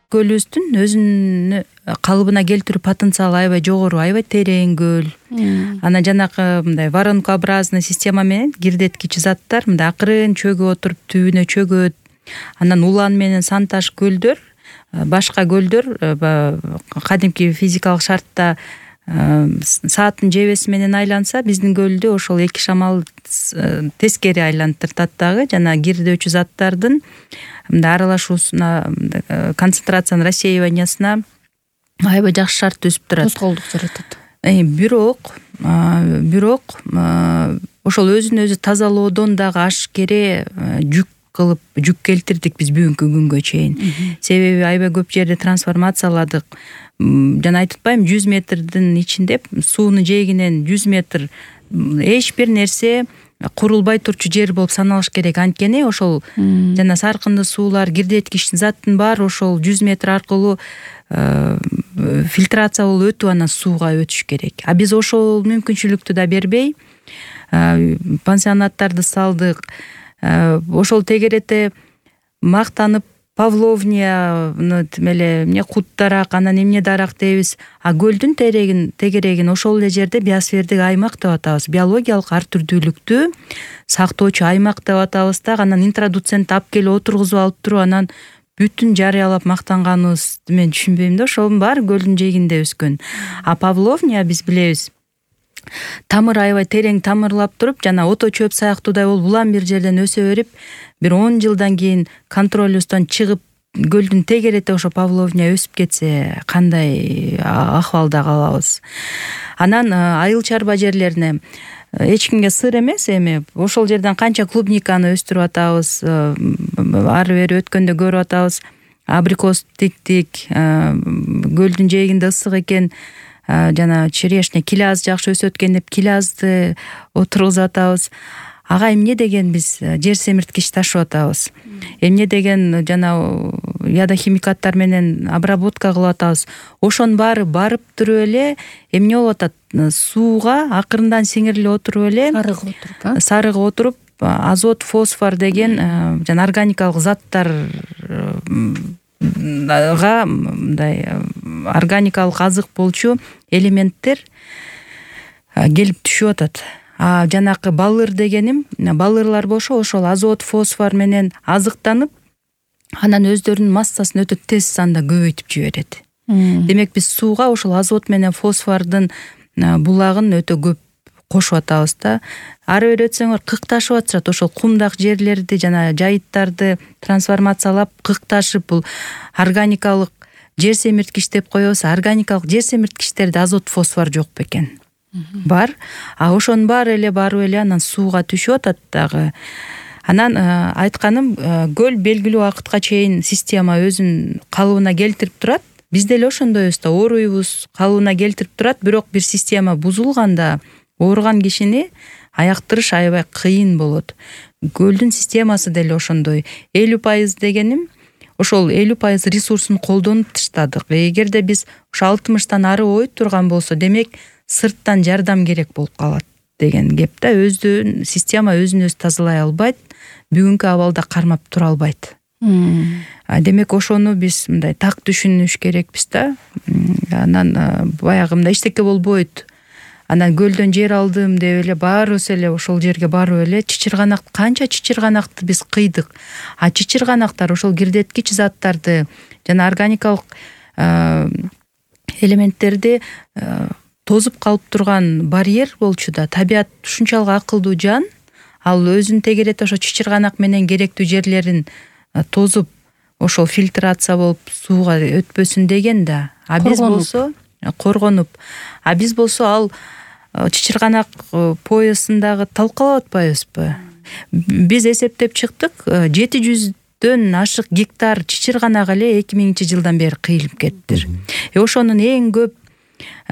көлүбүздүн өзүнүн калыбына келтирүү потенциалы аябай жогору, аябай терең көл. Анан жанагы мындай воронкообразный система менен кирдеткич заттар мындай акырын чөгүп отуруп түбүнө чөгөт. Анан Улан менен Санташ көлдөр, башка көлдөр кадимки физикалык шартта сааттын жебеси менен айланса, биздин көлдү ошол эки шамал тескери айлантыртат дагы. Жана кирдөөчү заттардын мындай аралашуусуна, концентрациянын рассеиваниясына аябай жакшы шарт түзүп турат. Тоскоолдук жаратат. Бирок ошол өзүн өзү тазалоодон дагы ашкере жүк келтирдик биз бүгүнкү күнгө чейин. Себеби аябай көп жерде трансформацияладык. Жана айтып атпайм, 100 метрдин ичинде суунун жээгинен 100 метр эч бир нерсе курулбай турчу жер болуп саналыш керек. Анткени ошол жана саркынды суулар, кирдеткич заттын баары ошол 100 метр аркылуу фильтрация болуп өтүп анан сууга өтүш керек. А биз ошол мүмкүнчүлүктү да бербей пансионаттарды салдык. Ошол тегерете мактанып Павловнияны эмне куттарак, анан эмне дарак дейбиз. А көлдүн тегерегин ошол эле жерде биосфердик аймак деп атабыз. Биологиялык ар түрдүүлүктү сактоочу аймак деп атабыз да. Анан интродуцент алып келип отургузуп алып туруп, анан бүтүн жарыялап мактанганыбызды мен түшүнбөйм да. Ошонун баары көлдүн жээгинде өскөн. А Павловния биз билебиз, тамыр аябай терең тамырлап туруп, жана ото чөп сыяктуудай болуп улам бир жерден өсө берип, бир 10 жылдан кийин контролюбуздан чыгып көлдүн тегерети ошо Павловния өсүп кетсе, кандай акыбалда калабыз. Анан айыл чарба жерлерине эч кимге сыр эмес, эми ошол жерден канча клубниканы өстүрүп атабыз, ары бери өткөндө көрүп атабыз. Абрикос тиктик, көлдүн жээгинде ысык экен, жана черешня, килаз жакшы өсөт экен деп килазды отургузуп атабыз. Ага эмне деген биз жер семирткич ташып атабыз. Эмне деген жана ядохимикаттар менен обработка кылып атабыз. Ошонун баары барып туруп эле эмне болуп атат? Сууга акырындан сиңирилип отуруп эле, сарыгып отуруп, азот, фосфор деген жана органикалык заттарга мындай органикалык азык болчу элементтер келип түшүп атат. Жанакы балыр дегеним, балырлар болсо ошол азот, фосфор менен азыктанып, анан өздөрүнүн массасын өтө тез санда көбөйтүп жиберет. Демек биз сууга ошол азот менен фосфордун булагын өтө көп кошуп атабыз да. Ары бери өтсөңөр кыкташып атышат, ошол кумдак жерлерди жана жайыттарды трансформациялап кыкташып, бул органикалык жер семирткич деп коебуз. Органикалык жер семирткичтерде азот, фосфор жок бекен. Бар. А ошонун баары эле барып эле анан сууга түшүп атат дагы. Анан айтканым, көл белгилүү убакытка чейин система өзүн калыбына келтирип турат. Биз деле ошондойбуз да, ооруйбуз, калыбына келтирип турат, бирок бир система бузулганда ооруган кишини аяктырыш аябай кыйын болот. Көлдүн системасы деле ошондой. 50% дегеним, ошол 50% ресурсун колдонуп таштадык. Эгерде биз ошо 60тан ары ой турган болсо, демек сырттан жардам керек болуп калат деген кеп да. Система өзүн өзү тазалай албайт, бүгүнкү абалда кармап тура албайт. Демек ошону биз мындай так түшүнүш керекпиз да. Анан баягы мындай эчтеке болбойт. Анан көлдөн жер алдым деп эле баарыбыз эле ошол жерге барып эле канча чычырганакты биз кыйдык. А чычырганактар ошол кирдеткич заттарды жана органикалык элементтерди тозуп калып турган барьер болчу да. Табият ушунчалык акылдуу жан, ал өзүн тегерете ошо чычырганак менен керектүү жерлерин тозуп, ошол фильтрация болуп сууга өтпөсүн деген да. А биз болсо коргонуп. А биз болсо ал чычырганак поясындагы талкалап атпайбызбы? Биз эсептеп чыктык, 700дөн ашык гектар чычырганак эле 2000-жылдан бери кыйылып кеттир. Ошонун эң көп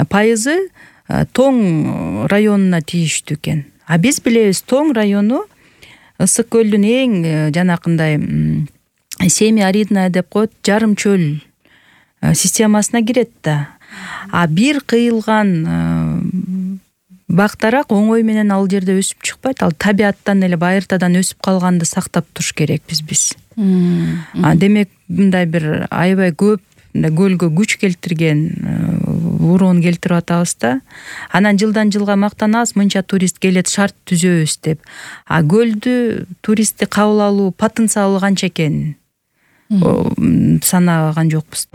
пайызы Тоң районуна тийиштүү экен. А биз билебиз, Тоң району Ысык көлдүн эң жанакындай семи-аридная деп коет, жарым чөл системасына кирет да. А бир кыйылган бактарак оңой менен ал жерде өсүп чыкпайт. Ал табиаттан эле байыртадан өсүп калганды сактап туруш керекпиз биз. Демек мындай бир аябай көп көлгө күч келтирген, уруун келтирип атабыз да. Анан жылдан жылга мактанабыз, мынча турист келет, шарт түзөбүз деп. А көлдү туристти кабыл алуу потенциалы канча экенин санаган жокпуз.